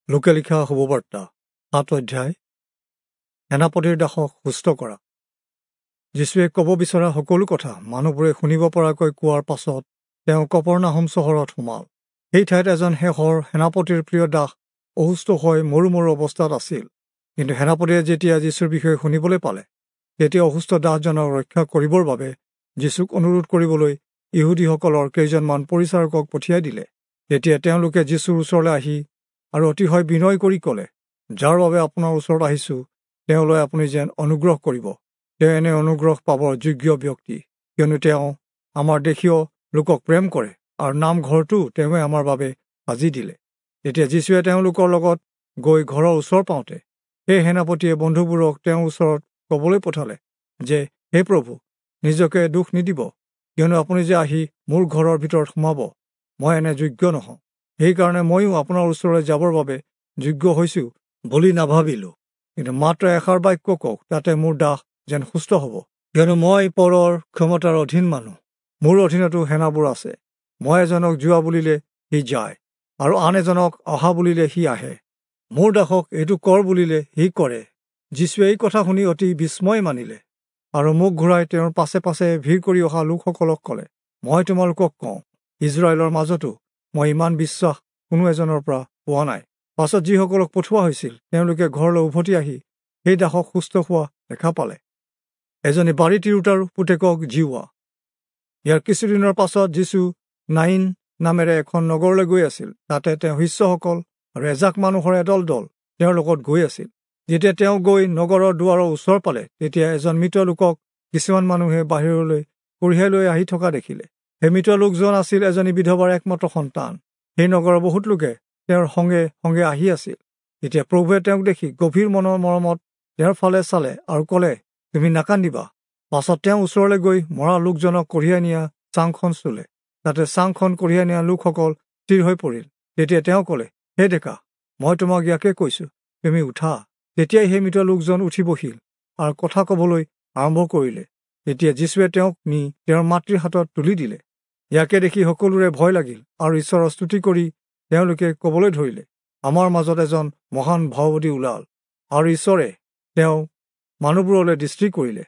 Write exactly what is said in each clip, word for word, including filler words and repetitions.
লোকে লিখা শুভবাৰ্তা সাত অধ্যায় সেনাপতিৰ দাসক সুস্থ কৰা। যীশুৱে ক'ব বিচৰা সকলো কথা মানুহবোৰে শুনিব পৰাকৈ কোৱাৰ পাছত তেওঁ কপৰ্নাহুম চহৰত সোমাল। সেই ঠাইত এজন শেষৰ সেনাপতিৰ প্ৰিয় দাস অসুস্থ হৈ মৰো মৰো অৱস্থাত আছিল। কিন্তু সেনাপতিয়ে যেতিয়া যীশুৰ বিষয়ে শুনিবলৈ পালে, তেতিয়া অসুস্থ দাসজনক ৰক্ষা কৰিবৰ বাবে যীশুক অনুৰোধ কৰিবলৈ ইহুদীসকলৰ কেইজনমান পৰিচাৰকক পঠিয়াই দিলে। তেতিয়া তেওঁলোকে যীশুৰ ওচৰলৈ আহি আৰু অতিশয় বিনয় কৰি ক'লে, যাৰ বাবে আপোনাৰ ওচৰত আহিছোঁ তেওঁলৈ আপুনি যেন অনুগ্ৰহ কৰিব। তেওঁ এনে অনুগ্ৰহ পাবৰ যোগ্য ব্যক্তি, কিয়নো তেওঁ আমাৰ দেশীয় লোকক প্ৰেম কৰে আৰু নামঘৰটো তেওঁৱে আমাৰ বাবে সাজি দিলে। তেতিয়া যীশুৱে তেওঁলোকৰ লগত গৈ ঘৰৰ ওচৰ পাওঁতে সেই সেনাপতিয়ে বন্ধুবোৰক তেওঁৰ ওচৰত ক'বলৈ পঠালে যে, হে প্ৰভু, নিজকে দুখ নিদিব, কিয়নো আপুনি যে আহি মোৰ ঘৰৰ ভিতৰত সোমাব, মই এনে যোগ্য নহওঁ। সেইকাৰণে ময়ো আপোনাৰ ওচৰলৈ যাবৰ বাবে যোগ্য হৈছোঁ বুলি নাভাবিলোঁ। কিন্তু মাত্ৰ এষাৰ বাক্য কওক, তাতে মোৰ দাস যেন সুস্থ হ'ব। কিয়নো মই পৰৰ ক্ষমতাৰ অধীন মানুহ, মোৰ অধীনতো সেনাবোৰ আছে। মই এজনক যোৱা বুলিলে সি যায়, আৰু আন এজনক অহা বুলিলে সি আহে। মোৰ দাসক এইটো কৰ বুলিলে সি কৰে। যীশুৱে এই কথা শুনি অতি বিস্ময় মানিলে আৰু মুখ ঘূৰাই তেওঁৰ পাছে পাছে ভিৰ কৰি অহা লোকসকলক ক'লে, মই তোমালোকক কওঁ, ইজৰাইলৰ মাজতো মই ইমান বিশ্বাস কোনো এজনৰ পৰা পোৱা নাই। পাছত যিসকলক পঠোৱা হৈছিল তেওঁলোকে ঘৰলৈ উভতি আহি সেই দাসক সুস্থ হোৱা দেখা পালে। এজনী বাৰী তিৰোতাৰ পুতেকক জীওৱা। ইয়াৰ কিছুদিনৰ পাছত যীশু নাইন নামেৰে এখন নগৰলৈ গৈ আছিল। তাতে তেওঁ শিষ্যসকল আৰু এজাক মানুহৰ এদল দল তেওঁৰ লগত গৈ আছিল। যেতিয়া তেওঁ গৈ নগৰৰ দুৱাৰৰ ওচৰ পালে, তেতিয়া এজন মৃত লোকক কিছুমান মানুহে বাহিৰলৈ কঢ়িয়াই লৈ আহি থকা দেখিলে। সেই মৃত লোকজন আছিল এজনী বিধৱাৰ একমাত্ৰ সন্তান। সেই নগৰৰ বহুত লোকে তেওঁৰ সঙ্গে সঙ্গে আহি আছিল। তেতিয়া প্ৰভুৱে তেওঁক দেখি গভীৰ মনৰ মৰমত তেওঁৰ ফালে চালে আৰু ক'লে, তুমি নাকান্দিবা। পাছত তেওঁ ওচৰলৈ গৈ মৰা লোকজনক কঢ়িয়াই নিয়া চাংখন চুলে। তাতে চাংখন কঢ়িয়াই নিয়া লোকসকল স্থিৰ হৈ পৰিল। তেতিয়া তেওঁ ক'লে, হে ডেকা, মই তোমাক ইয়াকে কৈছোঁ, তুমি উঠা। তেতিয়াই সেই মৃত লোকজন উঠি বহিল আৰু কথা ক'বলৈ আৰম্ভ কৰিলে। তেতিয়া যীশুৱে তেওঁক নি তেওঁৰ মাতৃৰ হাতত তুলি দিলে। ইয়াকে দেখি সকলোৰে ভয় লাগিল আৰু ঈশ্বৰৰ স্তুতি কৰি তেওঁলোকে ক'বলৈ ধৰিলে, আমাৰ মাজত এজন মহান ভাৱবাদী ওলাল আৰু ঈশ্বৰে তেওঁ মানুহবোৰলৈ দৃষ্টি কৰিলে।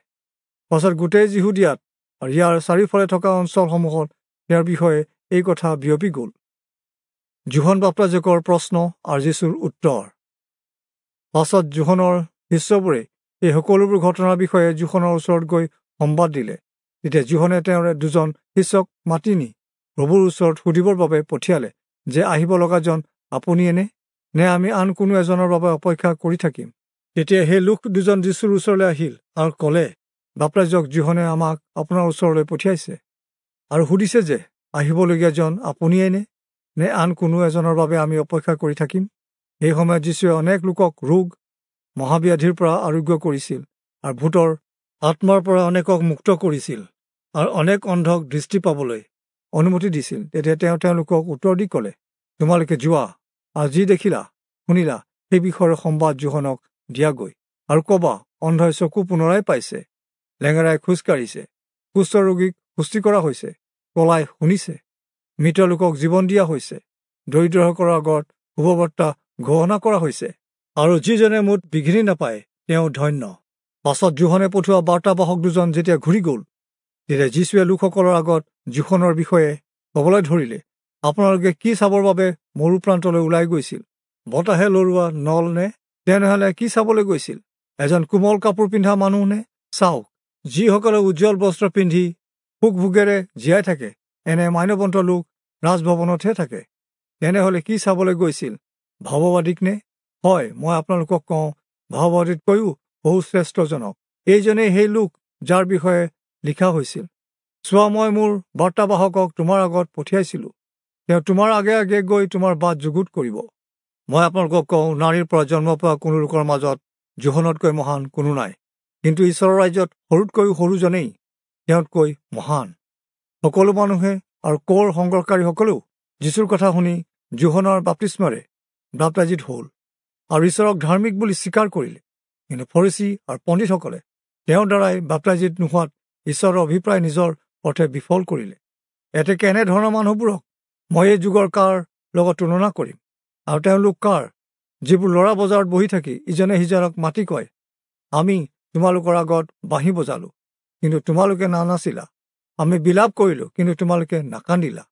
পাছত গোটেই যিহুদিয়াত আৰু ইয়াৰ চাৰিওফালে থকা অঞ্চলসমূহত তেওঁৰ বিষয়ে এই কথা বিয়পি গ'ল। যোহন বাপ্তাজকৰ প্ৰশ্ন আৰু যীশুৰ উত্তৰ। পাছত যোহনৰ শিষ্যবোৰে এই সকলোবোৰ ঘটনাৰ বিষয়ে যোহনৰ ওচৰত গৈ সম্বাদ দিলে। তেতিয়া যোহনে তেওঁৰে দুজন শিষ্যক মাতি নি প্ৰভুৰ ওচৰত সুধিবৰ বাবে পঠিয়ালে যে, আহিব লগাজন আপুনিয়ে নে, নে আমি আন কোনো এজনৰ বাবে অপেক্ষা কৰি থাকিম? তেতিয়া সেই লোক দুজন যীশুৰ ওচৰলৈ আহিল আৰু ক'লে, বাপ্তাজক যোহনে আমাক আপোনাৰ ওচৰলৈ পঠিয়াইছে আৰু সুধিছে যে, আহিবলগীয়াজন আপুনিয়ে নে, নে আন কোনো এজনৰ বাবে আমি অপেক্ষা কৰি থাকিম? সেই সময়ত যীশুৱে অনেক লোকক ৰোগ মহাব্যাধিৰ পৰা আৰোগ্য কৰিছিল আৰু ভূতৰ আত্মাৰ পৰা অনেকক মুক্ত কৰিছিল আৰু অনেক অন্ধক দৃষ্টি পাবলৈ অনুমতি দিছিল। তেতিয়া তেওঁ তেওঁলোকক উত্তৰ দি ক'লে, তোমালোকে যোৱা আৰু যি দেখিলা শুনিলা সেই বিষয়ৰ সম্বাদ যোহনক দিয়াগৈ আৰু ক'বা, অন্ধই চকু পুনৰাই পাইছে, লেঙেৰাই খোজ কাঢ়িছে, কুষ্ঠ ৰোগীক সুস্থি কৰা হৈছে, কলাই শুনিছে, মৃত লোকক জীৱন দিয়া হৈছে, দৰিদ্ৰসকলৰ আগত শুভবাৰ্তা ঘোষণা কৰা হৈছে, আৰু যিজনে মোত বিঘিনি নাপায় তেওঁ ধন্য। পাছত যোহনে পঠোৱা বাৰ্তাবাহক দুজন যেতিয়া ঘূৰি গ'ল, তেতিয়া যীশুৱে লোকসকলৰ আগত যোহনৰ বিষয়ে ক'বলৈ ধৰিলে, আপোনালোকে কি চাবৰ বাবে মৰু প্ৰান্তলৈ ওলাই গৈছিল? বতাহে লৰোৱা নল নে? তেনেহ'লে কি চাবলৈ গৈছিল? এজন কোমল কাপোৰ পিন্ধা মানুহ নে? চাওক, যিসকলে উজ্জ্বল বস্ত্ৰ পিন্ধি সুখভোগেৰে জীয়াই থাকে, এনে মান্যৱন্ত লোক ৰাজভৱনতহে থাকে। তেনেহ'লে কি চাবলৈ গৈছিল? ভাৱবাদীক নে? হয়, মই আপোনালোকক কওঁ, ভাৱবাদীতকৈও বহু শ্ৰেষ্ঠজনক। এইজনেই সেই লোক যাৰ বিষয়ে লিখা হৈছিল, চোৱা, মই মোৰ বাৰ্তাবাহকক তোমাৰ আগত পঠিয়াইছিলোঁ, তেওঁ তোমাৰ আগে আগে গৈ তোমাৰ বাট যুগুত কৰিব। মই আপোনালোকক কওঁ, নাৰীৰ পৰা জন্ম পোৱা কোনো লোকৰ মাজত যোহনতকৈ মহান কোনো নাই, কিন্তু ঈশ্বৰৰ ৰাজ্যত সৰুতকৈও সৰুজনেই তেওঁতকৈ মহান। সকলো মানুহে আৰু কৰ সংগ্ৰহকাৰীসকলেও যীশুৰ কথা শুনি যোহনৰ বাপ্তিস্মাৰে বাপ্তাজিত হ'ল আৰু ঈশ্বৰক ধাৰ্মিক বুলি স্বীকাৰ কৰিলে। কিন্তু ফৰীচী আৰু পণ্ডিতসকলে তেওঁৰ দ্বাৰাই বাপ্তাজিত নোহোৱাত ঈশ্বৰৰ অভিপ্ৰায় নিজৰ অৰ্থে বিফল কৰিলে। এতেকে এনেধৰণৰ মানুহবোৰক মই এই যুগৰ কাৰ লগত তুলনা কৰিম, আৰু তেওঁলোক কাৰ যিবোৰ ল'ৰা বজাৰত বহি থাকি ইজনে সিজনক মাতি কয়, আমি তোমালোকৰ আগত বাঁহী বজালো, কিন্তু তোমালোকে নানাচিলা, আমি বিলাপ কৰিলো, কিন্তু তোমালোকে নাকান্দিলা।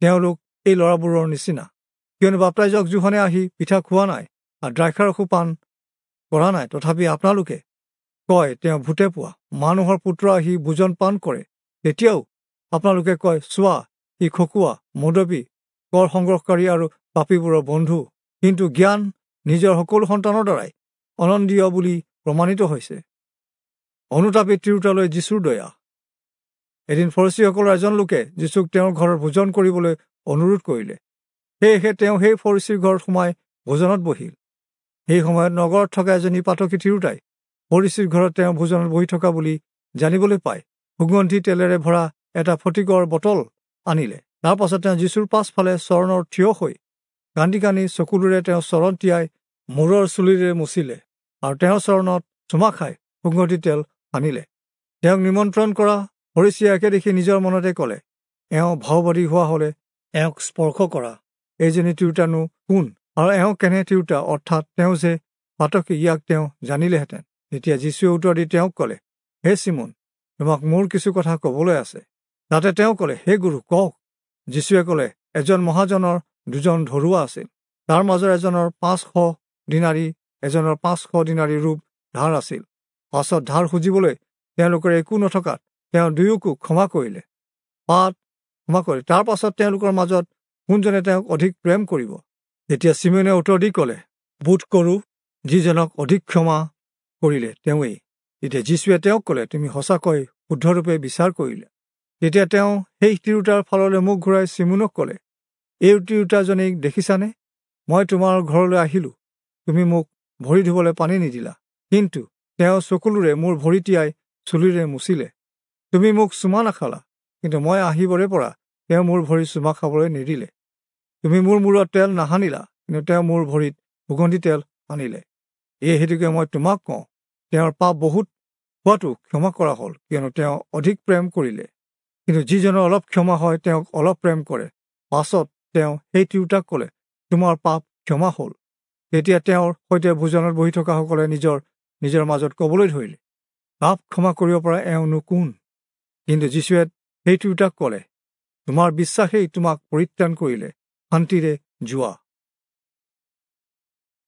তেওঁলোক এই ল'ৰাবোৰৰ নিচিনা, কিয়নো বাপ্তাইজক যোহনে আহি পিঠা খোৱা নাই আৰু দ্ৰাক্ষাৰসো পান কৰা নাই, তথাপি আপোনালোকে কয় তেওঁ ভূতে পোৱা। মানুহৰ পুত্ৰ আহি ভোজন পান কৰে, তেতিয়াও আপোনালোকে কয়, চোৱা, ই খকুৱা, মদপী, কৰ সংগ্ৰহকাৰী আৰু পাপীবোৰৰ বন্ধু। কিন্তু জ্ঞান নিজৰ সকলো সন্তানৰ দ্বাৰাই অনন্দীয় বুলি প্ৰমাণিত হৈছে। অনুতাপী তিৰোতালৈ যীশুৰ দয়া। এদিন ফৰীচীসকলৰ এজন লোকে যীশুক তেওঁৰ ঘৰত ভোজন কৰিবলৈ অনুৰোধ কৰিলে। সেয়েহে তেওঁ সেই ফৰীচীৰ ঘৰত সোমাই ভোজনত বহিল। সেই সময়ত নগৰত থকা এজনী পাতকী তিৰোতাই ফৰীচীৰ ঘৰত তেওঁ ভোজনত বহি থকা বুলি জানিবলৈ পাই সুগন্ধি তেলেৰে ভৰা এটা ফটিকৰ বটল আনিলে। তাৰ পাছত তেওঁ যীশুৰ পাছফালে চৰণৰ থিয় হৈ কান্দি কান্দি চকুলোৰে তেওঁ চৰণ তিয়াই মূৰৰ চুলিৰে মুচিলে আৰু তেওঁৰ চৰণত চুমা খাই সুগন্ধি তেল সানিলে। তেওঁক নিমন্ত্ৰণ কৰা ফৰীচীয়ে একে দেখি নিজৰ মনতে ক'লে, এওঁ ভাওবাদী হোৱা হ'লে এওঁক স্পৰ্শ কৰা এইজনী তিৰোতানো কোন, আৰু এওঁ কেনে তিৰোতা, অৰ্থাৎ তেওঁ যে পাতকী, ইয়াক তেওঁ জানিলেহেঁতেন। তেতিয়া যীশুৱে উত্তৰ দি তেওঁক ক'লে, হে চিমোন, তোমাক মোৰ কিছু কথা ক'বলৈ আছে। তাতে তেওঁ ক'লে, হে গুৰু, কওক। যীশুৱে ক'লে, এজন মহাজনৰ দুজন ধৰুৱা আছিল। তাৰ মাজৰ এজনৰ পাঁচশ দিনাৰী এজনৰ পাঁচশ দিনাৰী ৰূপ ধাৰ আছিল। পাছত ধাৰ সুজিবলৈ তেওঁলোকৰ একো নথকাত তেওঁ দুয়োকো ক্ষমা কৰিলে। পাত ক্ষমা কৰিলে। তাৰ পাছত তেওঁলোকৰ মাজত কোনজনে তেওঁক অধিক প্ৰেম কৰিব? তেতিয়া চিমোনে উত্তৰ দি ক'লে, বোধ কৰোঁ যিজনক অধিক ক্ষমা কৰিলে তেওঁৱেই। তেতিয়া যীশুৱে তেওঁক ক'লে, তুমি সঁচাকৈ শুদ্ধৰূপে বিচাৰ কৰিলা। তেতিয়া তেওঁ সেই তিৰোতাৰ ফাললৈ মুখ ঘূৰাই চিমোনক ক'লে, এই তিৰোতাজনীক দেখিছানে? মই তোমাৰ ঘৰলৈ আহিলোঁ, তুমি মোক ভৰি ধুবলৈ পানী নিদিলা, কিন্তু তেওঁ চকুলোৰে মোৰ ভৰি তিয়াই চুলিৰে মুচিলে। তুমি মোক চুমা নাখালা, কিন্তু মই আহিবৰে পৰা তেওঁ মোৰ ভৰি চুমা খাবলৈ নিদিলে। তুমি মোৰ মূৰত তেল নাসানিলা, কিন্তু তেওঁ মোৰ ভৰিত সুগন্ধি তেল সানিলে। এই হেতুকে মই তোমাক কওঁ, তেওঁৰ পাপ বহুত হোৱাটো ক্ষমা কৰা হ'ল, কিয়নো তেওঁ অধিক প্ৰেম কৰিলে। কিন্তু যিজনৰ অলপ ক্ষমা হয় তেওঁক অলপ প্ৰেম কৰে। পাছত তেওঁ সেই তিৰোতাক ক'লে, তোমাৰ পাপ ক্ষমা হ'ল। তেতিয়া তেওঁৰ সৈতে ভোজনত বহি থকাসকলে নিজৰ নিজৰ মাজত ক'বলৈ ধৰিলে, পাপ ক্ষমা কৰিব পৰা এওঁনো কোন? কিন্তু যীশুৱে সেই তিৰোতাক ক'লে, তোমাৰ বিশ্বাসেই তোমাক পৰিত্ৰাণ কৰিলে, শান্তিৰে যোৱা।